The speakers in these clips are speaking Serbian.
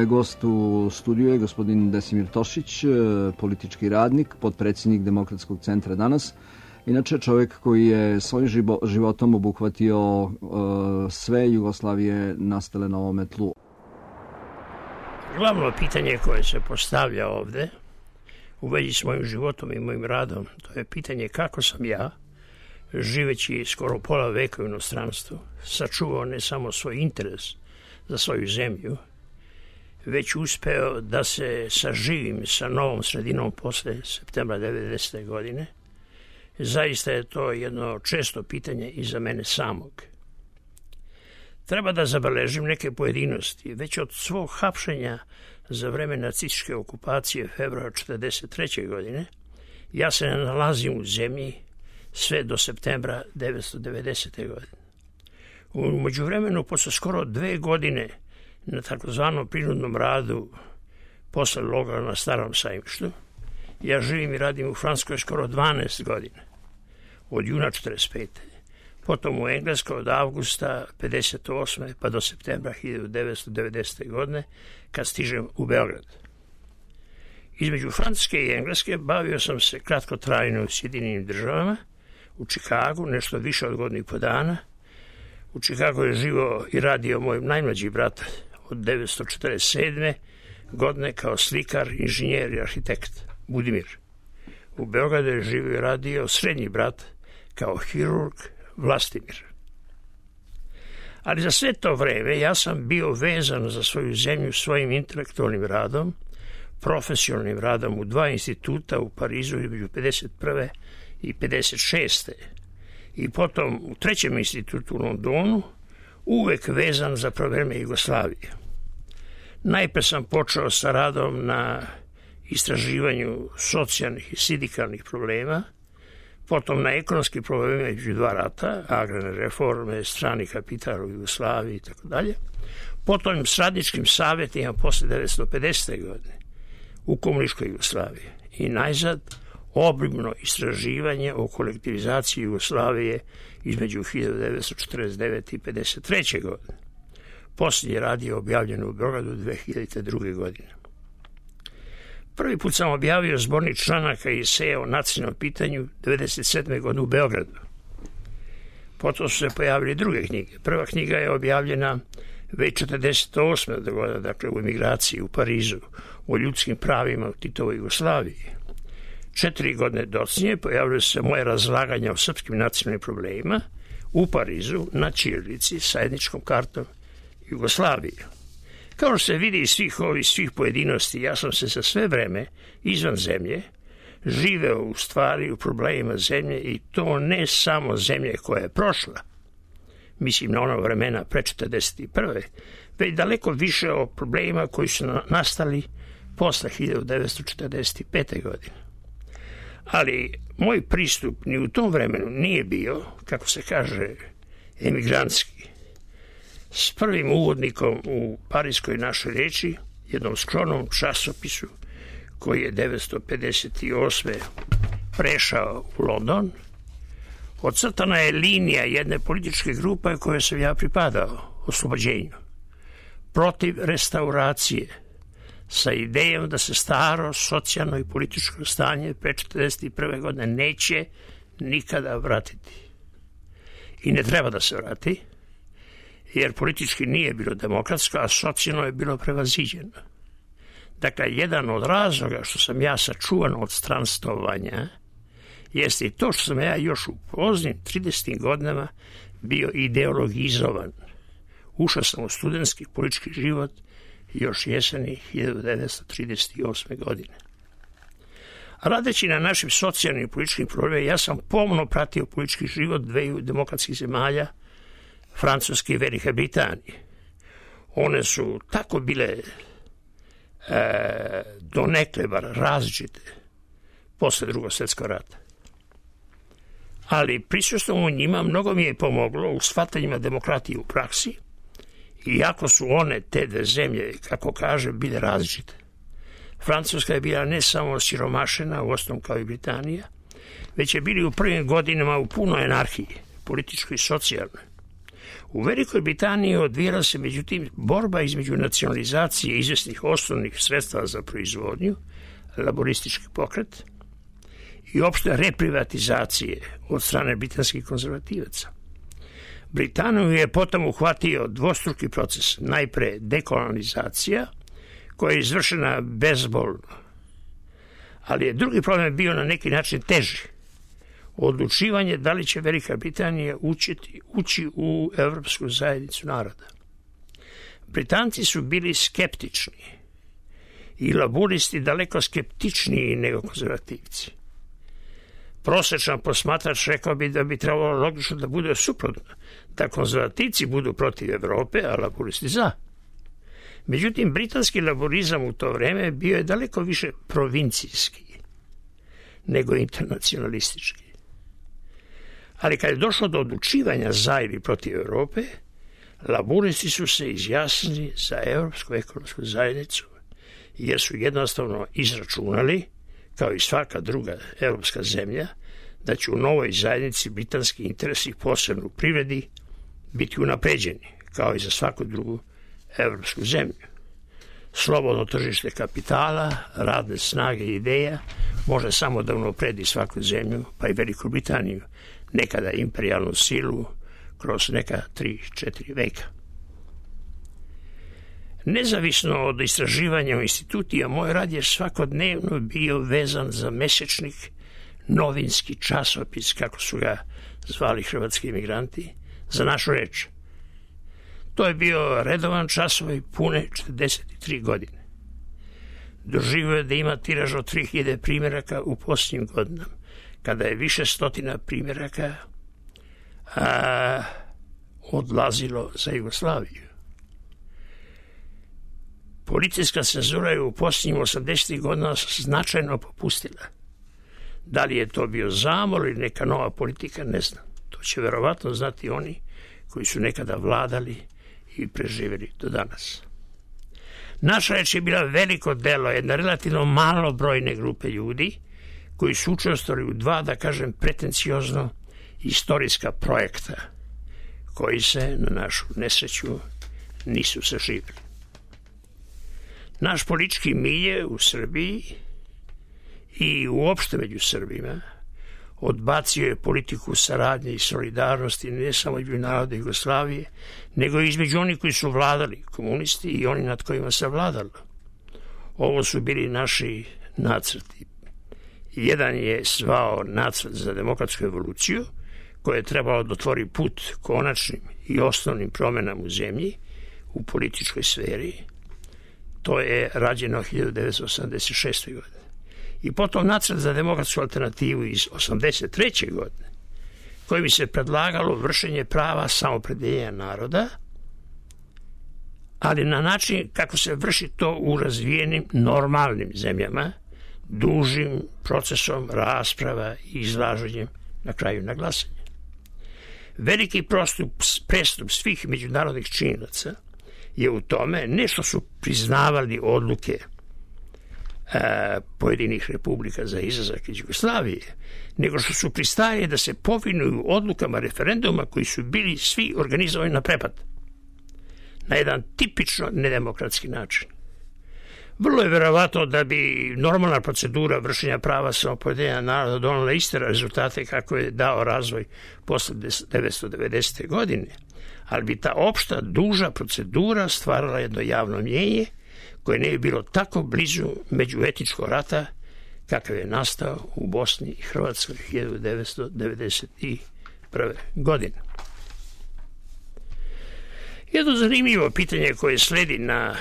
Gost u studiju je gospodin Desimir Tošić, politički radnik, potpredsjednik Demokratskog centra danas. Inače čovjek koji je svojim životom obuhvatio sve Jugoslavije nastale na ovome tlu. Glavno pitanje koje se postavlja ovdje u vezi s mojim životom i mojim radom, to je pitanje kako sam ja, živeći skoro pola veka u inostranstvu, sačuvao ne samo svoj interes za svoju zemlju, već uspeo da se saživim sa novom sredinom posle septembra 90. godine. Zaista je to jedno često pitanje i za mene samog. Treba da zabeležim neke pojedinosti. Već od svog hapšenja za vreme nacističke okupacije februara 1943. godine ja se ne nalazim u zemlji sve do septembra 1990. godine. U međuvremenu, posle skoro 2 godine na takozvanom prinudnom radu posle logora na Starom Sajmištu, ja živim i radim u Francuskoj skoro 12 godina, od juna 1945. Potom u Engleskoj od avgusta 1958. pa do septembra 1990. godine, kad stižem u Beograd. Između Francuske i Engleske bavio sam se kratkotrajno u Sjedinjenim Državama, u Čikagu nešto više od godinu i po dana. U Čikagu je živio i radio moj najmlađi brat od 1947. godine kao slikar, inženjer i arhitekt Budimir. U Beogradu je živio i radio srednji brat kao hirurg Vlastimir. Ali za sve to vreme ja sam bio vezan za svoju zemlju svojim intelektualnim radom, profesionalnim radom u 2 instituta u Parizu između 51. i 56. I potom u 3. institutu u Londonu, uvek vezan za probleme Jugoslavije. Najpre sam počeo sa radom na istraživanju socijalnih i sindikalnih problema, potom na ekonomski probleme među 2 rata, agrarne reforme, strani kapital u Jugoslaviji itd. Potom s radničkim savjetima posle 1950. godine u komunističkoj Jugoslaviji. I najzad obimno istraživanje o kolektivizaciji Jugoslavije između 1949. i 1953. godine. Posljednji rad je objavljen u Beogradu 2002. godine. Prvi put sam objavio zbornik članaka i eseja o nacionalnom pitanju 1997. godine u Beogradu. Potom su se pojavili druge knjige. Prva knjiga je objavljena već 1948. godine, dakle u emigraciji u Parizu, o ljudskim pravima u Titovoj Jugoslaviji. 4 godine docnije pojavile se moje razlaganja o srpskim nacionalnim problemima u Parizu na ćirilici sa etničkom kartom Jugoslavije. Kao što se vidi iz svih pojedinosti, ja sam se za sve vreme izvan zemlje živeo u stvari u problemima zemlje i to ne samo zemlje koja je prošla, mislim na ono vremena pre 1941. već daleko više o problemima koji su nastali posle 1945. godine. Ali moj pristup ni u tom vremenu nije bio, kako se kaže, emigrantski. S prvim uvodnikom u Parijskoj našoj reči, jednom skromnom časopisu koji je 1958. prešao u London, ocrtana je linija jedne političke grupe koje sam ja pripadao, oslobođenju, protiv restauracije, sa idejom da se staro socijalno i političko stanje pre 1941. godine neće nikada vratiti. I ne treba da se vrati, jer politički nije bilo demokratsko, a socijalno je bilo prevaziđeno. Dakle, jedan od razloga što sam ja sačuvan od stranstovanja jeste i to što sam ja još u poznim 30. godinama bio ideologizovan. Ušao sam u studentski politički život još jeseni 1938. godine. Radeći na našim socijalnim i političkim problemima, ja sam pomno pratio politički život 2 demokratskih zemalja, Francuske i Velike Britanije. One su tako bile donekle bar različite posle Drugog svjetskog rata. Ali prisustvom u njima mnogo mi je pomoglo u shvatanjima demokratije u praksi, iako su one, te 2 zemlje, kako kaže, bile različite. Francuska je bila ne samo siromašena, u osnovom kao i Britanija, već je bili u prvim godinama u punoj anarhiji, političkoj i socijalnoj. U Velikoj Britaniji odvijala se međutim borba između nacionalizacije izvesnih osnovnih sredstava za proizvodnju, laboristički pokret, i opšte reprivatizacije od strane britanskih konzervativaca. Britaniju je potom uhvatio dvostruki proces, najpre dekolonizacija, koja je izvršena bezbolno. Ali je drugi problem bio na neki način teži. Odlučivanje da li će Velika Britanija ući u Evropsku zajednicu naroda. Britanci su bili skeptični i laburisti daleko skeptičniji nego konzervativci. Prosječan posmatrač rekao bi da bi trebalo logično da bude suprotno, da konzervativci budu protiv Evrope, a laburisti za. Međutim, britanski laborizam u to vreme bio je daleko više provincijski nego internacionalistički. Ali kad je došlo do odlučivanja za ili protiv Evrope, laburisti su se izjasnili za Evropsku ekonomsku zajednicu, jer su jednostavno izračunali, kao i svaka druga evropska zemlja, da će u novoj zajednici britanski interesi, posebno u privredi, biti unapređeni, kao i za svaku drugu evropsku zemlju. Slobodno tržište kapitala, radne snage i ideja može samo da unapredi svaku zemlju, pa i Veliku Britaniju, nekada imperijalnu silu, kroz neka 3-4 veka. Nezavisno od istraživanja u institutima, moj rad je svakodnevno bio vezan za mesečnik, novinski časopis, kako su ga zvali hrvatski imigranti, za našu reč. To je bio redovan časopis pune 43 godine. Doživio je da ima tiraž od 3000 primjeraka u posljednjim godinama, kada je više stotina primjeraka odlazilo za Jugoslaviju. Policijska cenzura je u posljednjim 80. godina značajno popustila. Da li je to bio zamor ili neka nova politika, ne znam. To će verovatno znati oni koji su nekada vladali i preživjeli do danas. Naša reč je bila veliko delo jedne relativno malobrojne grupe ljudi koji su učestvovali u dva, da kažem, pretenciozno istorijska projekta koji se na našu nesreću nisu saživjeli. Naš politički milje u Srbiji i uopšte među Srbima odbacio je politiku saradnje i solidarnosti ne samo između naroda Jugoslavije, nego i između onih koji su vladali, komunisti, i oni nad kojima se vladalo. Ovo su bili naši nacrti. Jedan je zvao nacrt za demokratsku evoluciju, koje je trebalo da otvori put konačnim i osnovnim promjenama u zemlji, u političkoj sferi. To je rađeno 1986. godine. I potom nacrt za demokratsku alternativu iz 1983. godine, koji bi se predlagalo vršenje prava samoopredjeljenja naroda, ali na način kako se vrši to u razvijenim normalnim zemljama, dužim procesom rasprava i izlaženjem na kraju na glasanje. Veliki prestup svih međunarodnih činilaca je u tome ne što su priznavali odluke pojedinih republika za izlazak iz Jugoslavije, nego što su pristajali da se povinuju odlukama referenduma koji su bili svi organizovani na prepad, na jedan tipično nedemokratski način. Vrlo je verovatno da bi normalna procedura vršenja prava samoopredjeljenja naroda donela iste rezultate kako je dao razvoj posle 1990. godine, ali bi ta opšta, duža procedura stvarala jedno javno mnjenje koje ne bi bilo tako blizu međuetničkog rata kakav je nastao u Bosni i Hrvatskoj 1991. godine. Jedno zanimljivo pitanje koje sledi na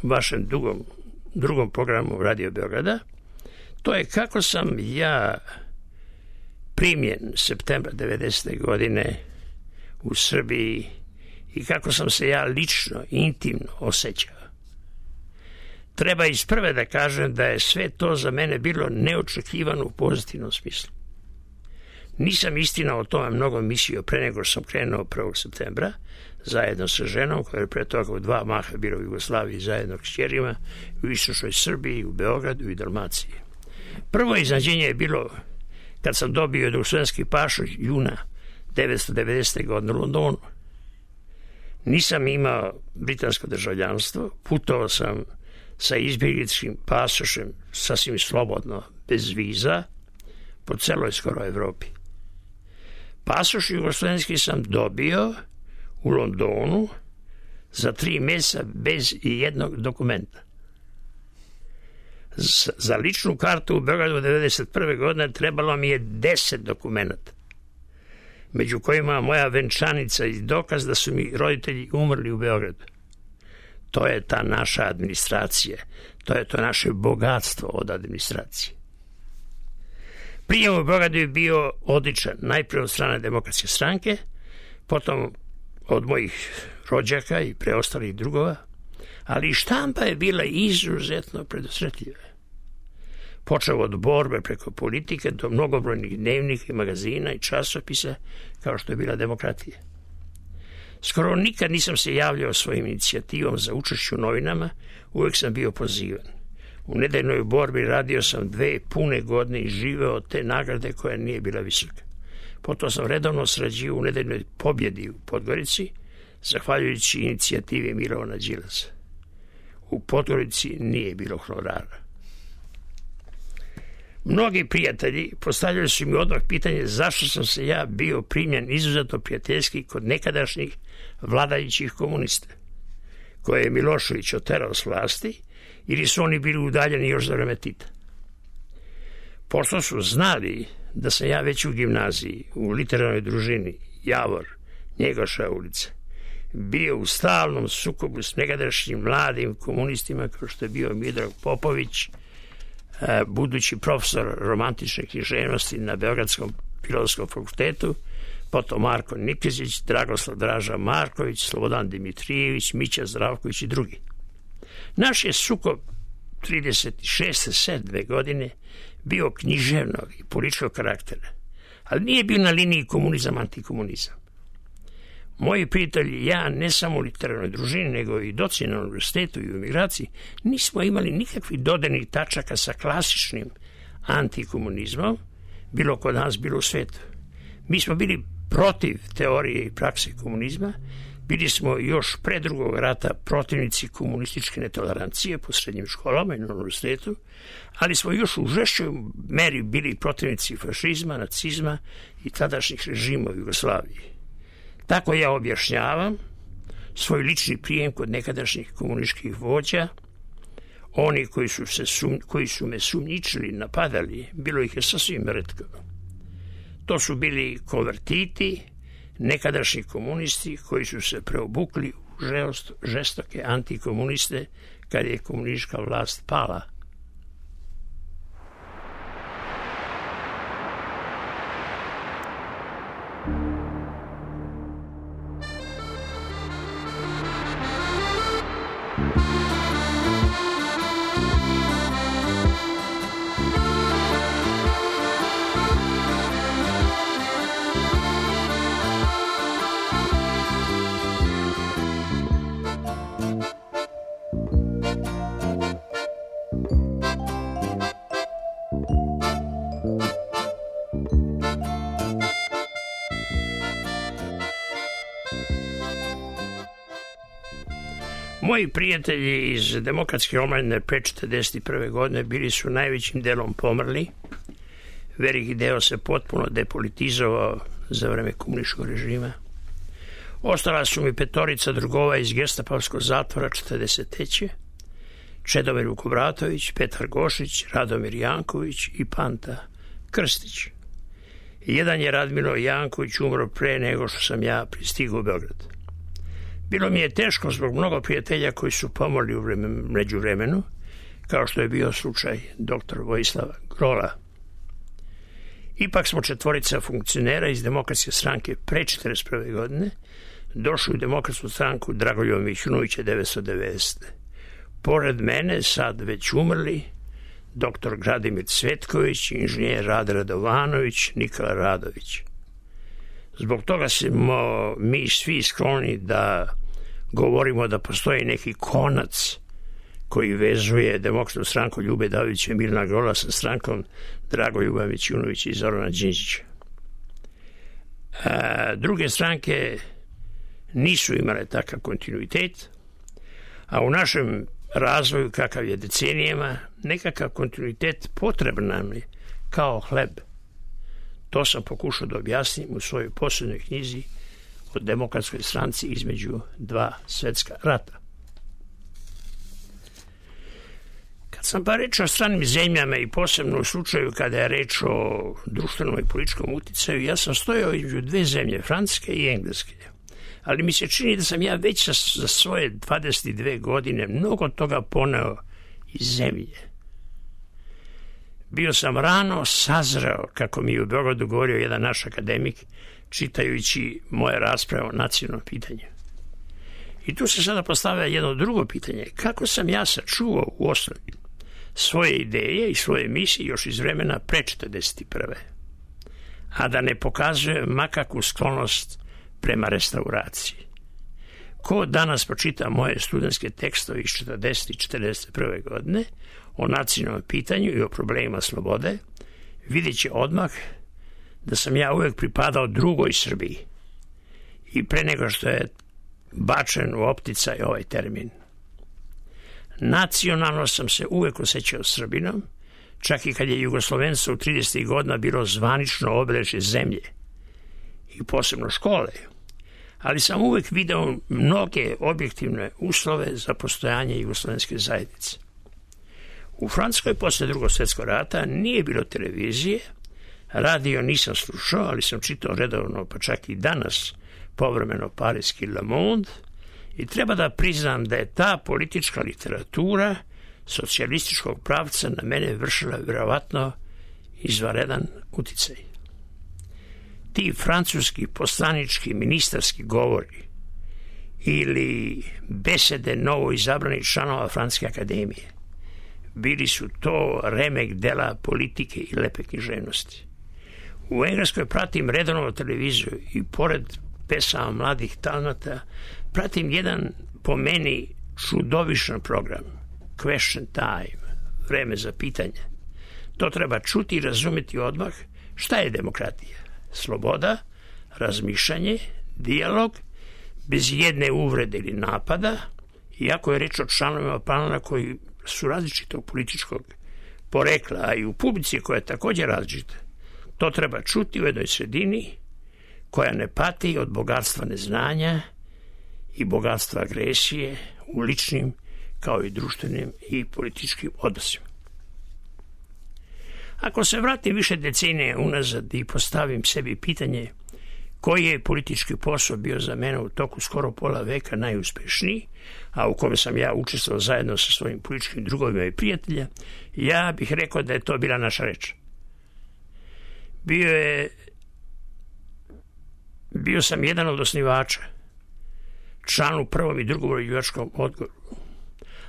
vašem drugom programu Radio Beograda, to je kako sam ja primljen septembra 90. godine u Srbiji i kako sam se ja lično, intimno osjećao. Treba isprve da kažem da je sve to za mene bilo neočekivano u pozitivnom smislu. Nisam istina o tome mnogo mislio pre nego što sam krenuo 1. septembra, zajedno sa ženom koja je pre toga u 2 maha bila u Jugoslaviji zajedno s kćerima, u istočnoj Srbiji, u Beogradu i Dalmaciji. Prvo iznenađenje je bilo kad sam dobio jugoslovenski pasoš juna 1990. godine u Londonu. Nisam imao britansko državljanstvo, putovao sam sa izbjegličkim pasošem sasvim slobodno, bez viza, po celoj skoro Evropi. Pasoš jugoslovenski sam dobio u Londonu za 3 mjeseca bez jednog dokumenta. Za ličnu kartu u Beogradu 1991. godine trebalo mi je 10 dokumenta, među kojima moja venčanica i dokaz da su mi roditelji umrli u Beogradu. To je ta naša administracija, to je to naše bogatstvo od administracije. Prijem u Beogradu je bio odličan, najprije od strane Demokratske stranke, potom od mojih rođaka i preostalih drugova, ali i štampa je bila izuzetno predusretljiva. Počeo od borbe preko politike do mnogobrojnih dnevnika i magazina i časopisa, kao što je bila Demokratija. Skoro nikad nisam se javljao svojim inicijativom za učešću u novinama, uvijek sam bio pozivan. U nedeljnoj borbi radio sam 2 pune godine i živeo od te nagrade koja nije bila visoka. Potom sam redovno sarađivao u nedeljnoj pobjedi u Podgorici, zahvaljujući inicijativi Milovana Đilasa. U Podgorici nije bilo honorara. Mnogi prijatelji postavljali su mi odmah pitanje zašto sam se ja bio primljen izuzetno prijateljski kod nekadašnjih vladajućih komunista, koje je Milošević oterao s vlasti, ili su oni bili udaljeni još za vreme Tita. Pošto su znali da sam ja već u gimnaziji, u literarnoj družini Javor, Njegoša ulica, bio u stalnom sukobu s nekadašnjim mladim komunistima kao što je bio Miodrag Popović, budući profesor romantične književnosti na Beogradskom filozofskom fakultetu, potom Marko Nikezić, Dragoslav Draža Marković, Slobodan Dimitrijević, Mića Zdravković i drugi. Naš je sukob 36-7 godine bio književnog i političkog karaktera, ali nije bio na liniji komunizam-antikomunizam. Moji prijatelji i ja, ne samo u literarnoj družini, nego i docenti na univerzitetu i u emigraciji, nismo imali nikakvih dodirnih tačaka sa klasičnim antikomunizmom, bilo kod nas, bilo u svetu. Mi smo bili protiv teorije i prakse komunizma, bili smo još pre drugog rata protivnici komunističke netolerancije po srednjim školama i na univerzitetu, ali smo još u žešćoj meri bili protivnici fašizma, nacizma i tadašnjih režima u Jugoslaviji. Tako ja objašnjavam svoj lični prijem kod nekadašnjih komunističkih vođa. Oni koji su me sumnjičili, napadali, bilo ih je sasvim retko. To su bili konvertiti, nekadašnji komunisti koji su se preobukli u žestoke antikomuniste kad je komunistička vlast pala. Moji prijatelji iz Demokratske omladine pre 1941. godine bili su najvećim delom pomrli. Veliki deo se potpuno depolitizovao za vreme komunističkog režima. Ostala su mi 5 drugova iz gestapovskog zatvora 1943. Čedomir Vukobratović, Petar Gošić, Radomir Janković i Panta Krstić. Jedan je Radmilo Janković umro pre nego što sam ja pristigao u Beograd. Bilo mi je teško zbog mnogo prijatelja koji su pomrli u međuvremenu, kao što je bio slučaj dr. Vojislava Grola. Ipak smo 4 funkcionera iz Demokratske stranke pre 1941. godine došli u Demokratsku stranku Dragoljuba Mićunovića 1990. Pored mene, sad već umrli, dr. Gradimir Cvetković, inženjer Rade Radovanović, Nikola Radović. Zbog toga smo mi svi skloni da govorimo da postoji neki konac koji vezuje Demokratsku stranku Ljube Davića i Milana Grola sa strankom Dragoljuba Mićunovića i Zorana Đinđića. Druge stranke nisu imale takav kontinuitet, a u našem razvoju, kakav je decenijama, nekakav kontinuitet potreban nam je kao hleb. To sam pokušao da objasnim u svojoj posljednjoj knjizi o demokratskoj stranci između dva svetska rata. Kad sam pa reč o stranim zemljama i posebno u slučaju kada je reč o društvenom i političkom uticaju, ja sam stojao između dve zemlje, Francuske i Engleske. Ali mi se čini da sam ja već za svoje 22 godine mnogo toga poneo iz zemlje. Bio sam rano sazreo, kako mi je u Beogradu govorio jedan naš akademik, čitajući moje rasprave o nacionalnom pitanju. I tu se sada postavlja jedno drugo pitanje. Kako sam ja sačuvao u osnovi svoje ideje i svoje misije još iz vremena pre 1941. A da ne pokazuje makakvu sklonost prema restauraciji. Ko danas pročita moje studentske tekstove iz 40. i 41. godine o nacionalnom pitanju i o problemima slobode, vidjet će odmah da sam ja uvek pripadao drugoj Srbiji i pre nego što je bačen u opticaj ovaj termin. Nacionalno sam se uvek osjećao Srbinom, čak i kad je Jugoslovenstvo u 30. godina bilo zvanično obeležje zemlje i posebno škole, ali sam uvek video mnoge objektivne uslove za postojanje jugoslovenske zajednice. U Francuskoj posle Drugog svjetskog rata nije bilo televizije, radio nisam slušao, ali sam čitao redovno, pa čak i danas, povremeno pariski Le Monde, i treba da priznam da je ta politička literatura socijalističkog pravca na mene vršila vjerovatno izvanredan uticaj. Ti francuski poslanički ministarski govori ili besede novo izabranih članova Francuske akademije bili su to remek dela politike i lepe književnosti. U Engleskoj pratim redovno televiziju i pored pesama mladih talenata pratim jedan po meni čudovišan program, Question Time, vreme za pitanje. To treba čuti i razumeti odmah šta je demokratija. Sloboda, razmišljanje, dijalog, bez jedne uvrede ili napada, iako je reč o članovima panela koji su različitog političkog porekla, a i u publici koja je također različita. To treba čuti u jednoj sredini koja ne pati od bogatstva neznanja i bogatstva agresije u ličnim kao i društvenim i političkim odnosima. Ako se vratim više decenije unazad i postavim sebi pitanje koji je politički posao bio za mene u toku skoro pola veka najuspešniji, a u kome sam ja učestvovao zajedno sa svojim političkim drugovima i prijatelja, ja bih rekao da je to bila naša reč. Bio sam jedan od osnivača, član u prvom i drugom uređivačkom odboru,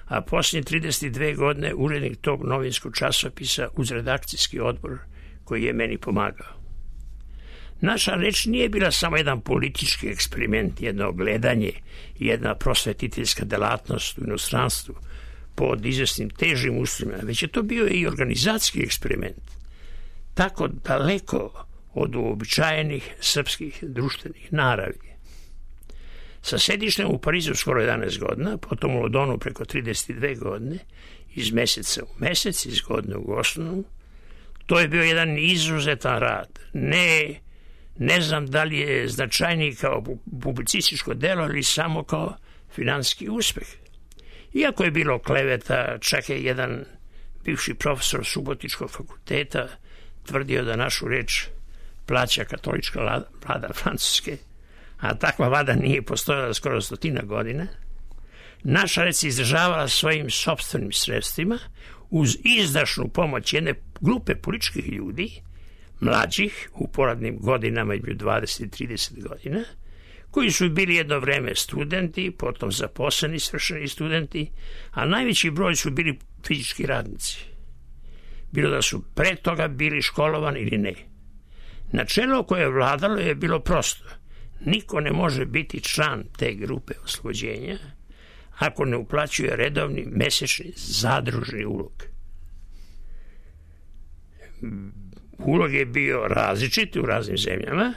a posljednje 32 godine urednik tog novinskog časopisa uz redakcijski odbor koji je meni pomagao. Naša reč nije bila samo jedan politički eksperiment, jedno gledanje, jedna prosvetiteljska delatnost u inostranstvu pod izvesnim težim uslovima, već je to bio i organizacijski eksperiment, tako daleko od uobičajenih srpskih društvenih naravi. Sa sedištem u Parizu skoro 11 godina, potom u Londonu preko 32 godine, iz meseca u mesec, iz godine u godinu, to je bio jedan izuzetan rad. Ne znam da li je značajniji kao publicističko delo ili samo kao finansijski uspeh. Iako je bilo kleveta, čak je jedan bivši profesor Subotičkog fakulteta tvrdio da našu reč plaća katolička vlada Francuske, a takva vlada nije postojala skoro 100 godina, naša reč se izdržavala svojim sopstvenim sredstvima uz izdašnu pomoć jedne grupe političkih ljudi, mlađih u poradnim godinama između 20 i 30 godina, koji su bili jedno vreme studenti, potom zaposleni svršeni studenti, a najveći broj su bili fizički radnici. Bilo da su pre toga bili školovani ili ne. Načelo koje je vladalo je bilo prosto. Niko ne može biti član te grupe oslobođenja ako ne uplaćuje redovni mesečni zadružni ulog. Ulog je bio različit u raznim zemljama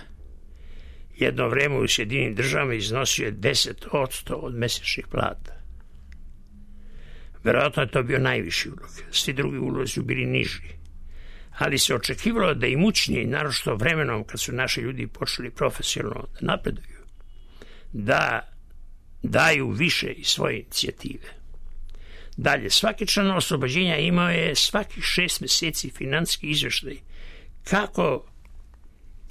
Jedno vreme u Sjedinim državama iznosio je 10% od mesečnih plata. Verovatno je to bio najviši ulog. Svi drugi ulozi su bili niži. Ali se očekivalo da imućniji, naročito vremenom kad su naši ljudi počeli profesionalno da napreduju, da daju više iz svoje inicijative. Dalje, svaki član oslobođenja imao je svakih 6 meseci finansijski izveštaj kako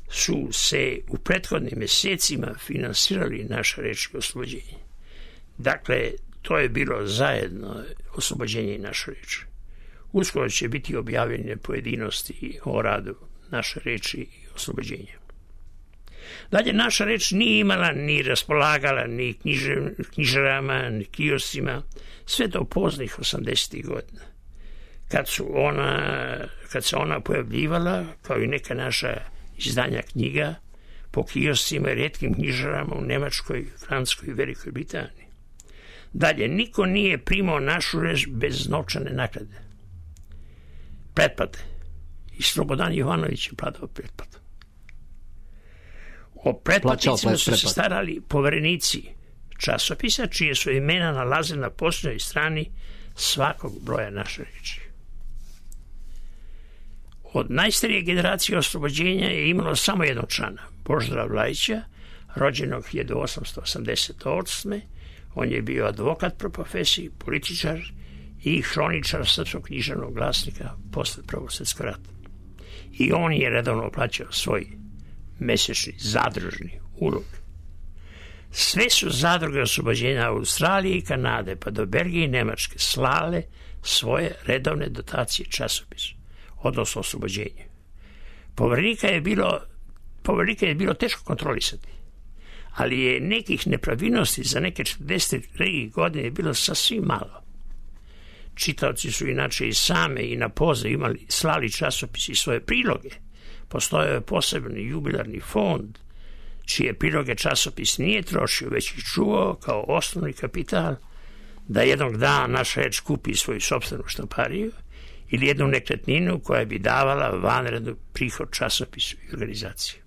su se u prethodnim mesecima finansirali naša reč i oslobođenje. Dakle, to je bilo zajedno oslobođenje i naša reč. Uskoro će biti objavljene pojedinosti o radu naše reči i oslobođenja. Dalje, naša reč nije imala ni raspolagala ni knjižarama, ni kioscima, sve do poznih 80. godina. Kad se ona pojavljivala, kao i neka naša izdanja knjiga, po kioscima i retkim knjižarama u Nemačkoj, Francuskoj i Velikoj Britaniji. Dalje, niko nije primao našu reč bez novčane naknade. Pretplate. I Slobodan Jovanović je platao pretplatu. O pretplatnicima su se starali poverenici časopisa, čije su imena nalaze na posljednjoj strani svakog broja naše reči. Od najstarije generacije oslobođenja je imalo samo jednog člana, Božidara Vlajića, rođenog 1888. On je bio advokat po profesiji, političar i hroničar Srpskog književnog glasnika posle Prvog svjetskog rata. I on je redovno plaćao svoj mesečni zadružni ulog. Sve su zadruge oslobođenja Australije i Kanade pa do Belgije i Nemačke slale svoje redovne dotacije časopisu, odnosno oslobođenje. Poverenika je bilo teško kontrolisati, ali je nekih nepravilnosti za neke 43 godine bilo sasvim malo. Čitaoci su inače i same i na poziv slali časopisi i svoje priloge. Postojao je posebni jubilarni fond, čije priloge časopis nije trošio, već ih čuvao kao osnovni kapital da jednog dana naša reč kupi svoju sopstvenu štampariju ili jednu nekretninu koja bi davala vanrednu prihod časopisu i organizaciji.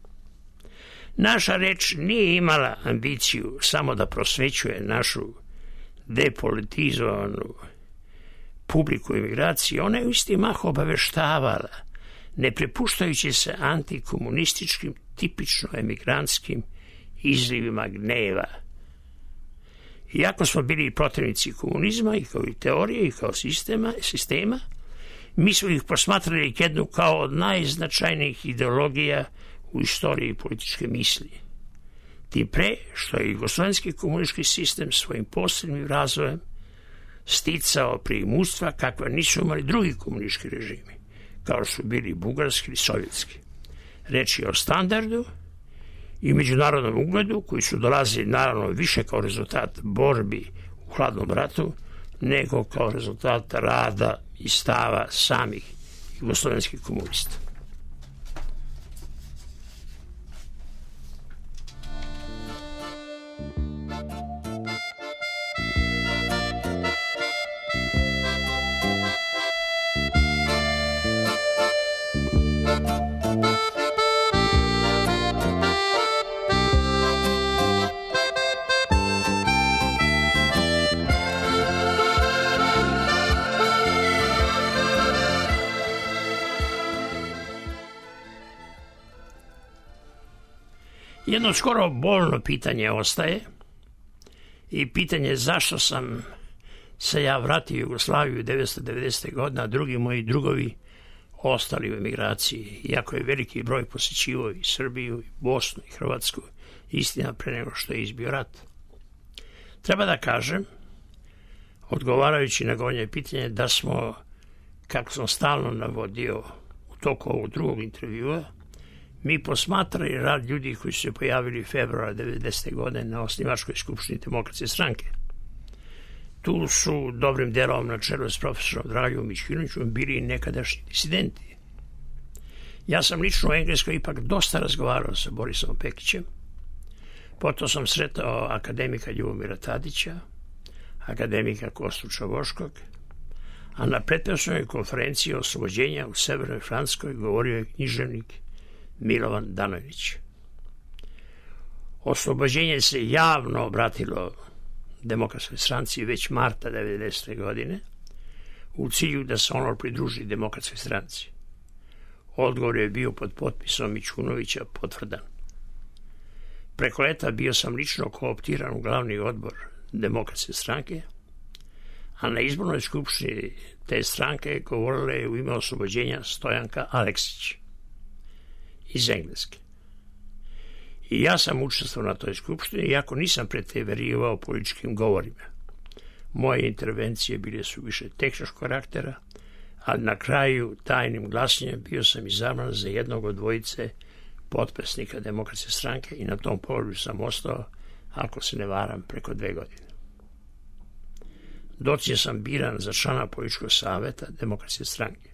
Naša reč nije imala ambiciju samo da prosvećuje našu depolitizovanu publiku emigracije, ona je u isti mah obaveštavala, ne prepuštajući se antikomunističkim, tipično emigrantskim izlivima gneva. Iako smo bili protivnici komunizma i kao i teorije i kao sistema, mi smo ih posmatrali jednu kao od najznačajnijih ideologija u istoriji političke misli. Tim pre što je jugoslovenski komunistički sistem svojim posebnim razvojem sticao preimućstva kakva nisu imali drugi komunistički režimi, kao što su bili bugarski ili sovjetski. Reč je o standardu i međunarodnom ugledu koji su dolazili naravno više kao rezultat borbi u hladnom ratu nego kao rezultat rada i stava samih jugoslovenskih komunista. Jedno skoro bolno pitanje ostaje i pitanje zašto sam se ja vratio u Jugoslaviju 1990. godine, a drugi moji drugovi ostali u emigraciji, iako je veliki broj posjećivao i Srbiju, i Bosnu, i Hrvatsku, istina pre nego što je izbio rat. Treba da kažem, odgovarajući na gornje pitanje, da smo, kako sam stalno navodio u toku ovog drugog intervjua, mi posmatrali rad ljudi koji su se pojavili februara 1990. godine na osnivačkoj skupštini Demokratske stranke. Tu su dobrim delom na čelu s profesorom Dragom Mićunovićem bili nekadašnji disidenti. Ja sam lično u Engleskoj ipak dosta razgovarao sa Borisom Pekićem, potom sam sretao akademika Ljubomira Tadića, akademika Kostu Čavoškog, a na pretprošloj konferenciji oslobođenja u Severnoj Francuskoj govorio je književnik Milovan Danović. Oslobođenje se javno obratilo Demokratskoj stranci već marta 1990. godine u cilju da se ono pridruži Demokratskoj stranci. Odgovor je bio pod potpisom Mićunovića potvrdan. Preko leta bio sam lično kooptiran u glavni odbor Demokratske stranke, a na izbornoj skupštini te stranke govorila je u ime oslobođenja Stojanka Aleksić iz Engleske. I ja sam učestvovao na toj skupštini, iako nisam preterivao političkim govorima. Moje intervencije bile su više tehničkog karaktera, a na kraju tajnim glasanjem bio sam izabran za jednog od dvojice potpisnika Demokratske stranke i na tom položaju sam ostao, ako se ne varam, preko 2 godine. Dotle sam biran za člana političkog saveta Demokratske stranke.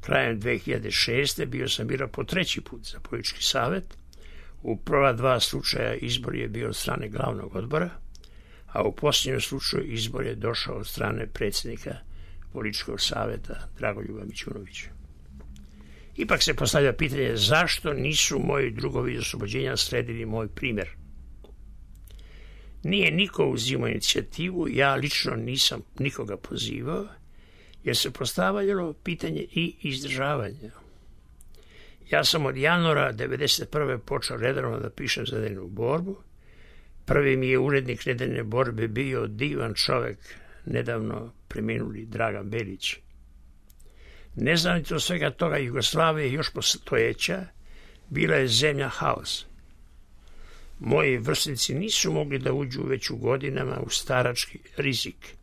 Krajem 2006. bio sam biran po 3. put za politički savet. U prva 2 slučaja izbor je bio od strane glavnog odbora, a u posljednjem slučaju izbor je došao od strane predsjednika političkog saveta Dragoljuba Mićunovića. Ipak se postavlja pitanje zašto nisu moji drugovi iz oslobođenja sledili moj primjer. Nije niko uzimao inicijativu, ja lično nisam nikoga pozivao, jer se postavljalo pitanje i izdržavanja. Ja sam od januara 1991. počeo redovno da pišem za Nedeljnu borbu. Prvi mi je urednik Nedeljne borbe bio divan čovek, nedavno preminuli Dragan Belić. Neznanito svega toga, Jugoslavija još postojeća bila je zemlja haos. Moji vrstnici nisu mogli da uđu već u godinama u starački rizik.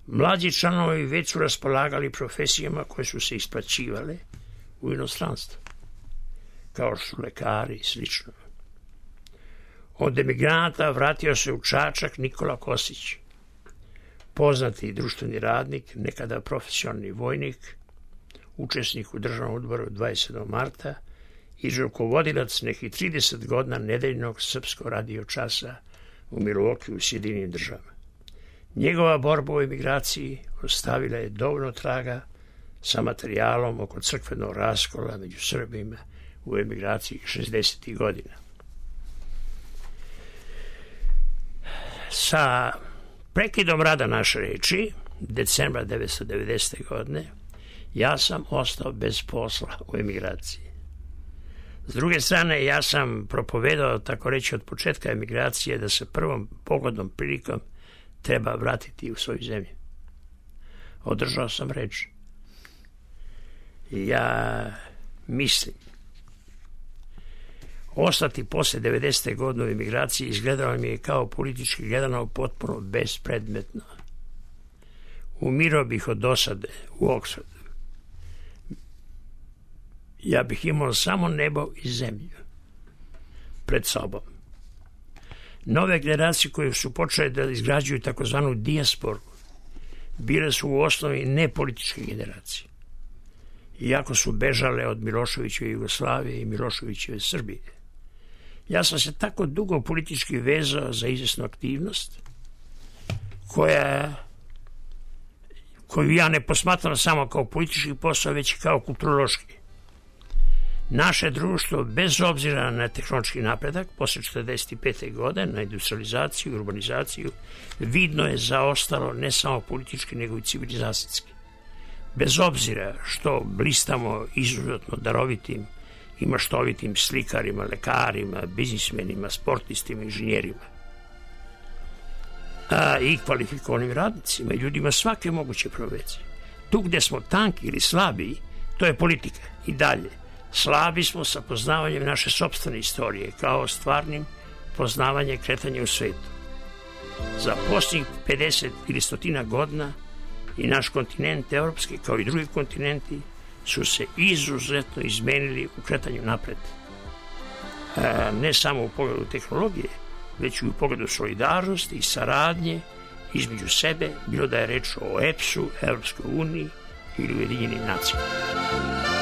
Mlađi članovi već su raspolagali profesijama koje su se isplaćivale u inostranstvu, kao što su lekari i slično. Od emigranata vratio se u Čačak Nikola Kosić, poznati društveni radnik, nekada profesionalni vojnik, učesnik u državnom odboru 27. marta i rukovodilac nekih 30 godina nedeljnog srpskog radio časa u Milwaukee u Sjedinjenim Državama. Njegova borba u emigraciji ostavila je dovoljno traga sa materijalom oko crkvenog raskola među Srbima u emigraciji 60. godina. Sa prekidom rada naše reči, decembra 1990. godine, ja sam ostao bez posla u emigraciji. S druge strane, ja sam propovedao, tako reći, od početka emigracije da se prvom pogodnom prilikom treba vratiti u svoju zemlju. Održao sam reč. Ja mislim, ostati posle 90. godine u emigraciji izgledalo mi je kao politički gledano potpuno bespredmetno. Umirao bih od dosade u Oksfordu. Ja bih imao samo nebo i zemlju pred sobom. Nove generacije koje su počele da izgrađuju takozvanu dijasporu bile su u osnovi nepolitičke generacije. Iako su bežale od Miloševićeve Jugoslavije i Miloševićeve Srbije. Ja sam se tako dugo politički vezao za izvesnu aktivnost koju ja ne posmatram samo kao politički posao, već i kao kulturološki. Naše društvo, bez obzira na tehnološki napredak, posle 45. godine, na industrializaciju i urbanizaciju, vidno je zaostalo ne samo politički, nego i civilizacijski. Bez obzira što blistamo izuzetno darovitim i maštovitim slikarima, lekarima, biznismenima, sportistima, inženjerima, i kvalifikovanim radnicima i ljudima svake moguće profesije. Tu gde smo tanki ili slabiji, to je politika. I dalje, slabi smo sa poznavanjem naše sopstvene istorije, kao stvarnim poznavanjem kretanja u svetu. Za posljednjih 50 ili 100 godina i naš kontinent evropski, kao i drugi kontinenti, su se izuzetno izmenili u kretanju napred. Ne samo u pogledu tehnologije, već i u pogledu solidarnosti i saradnje između sebe, bilo da je reč o EPS-u, Evropskoj uniji ili Ujedinjenim nacijama.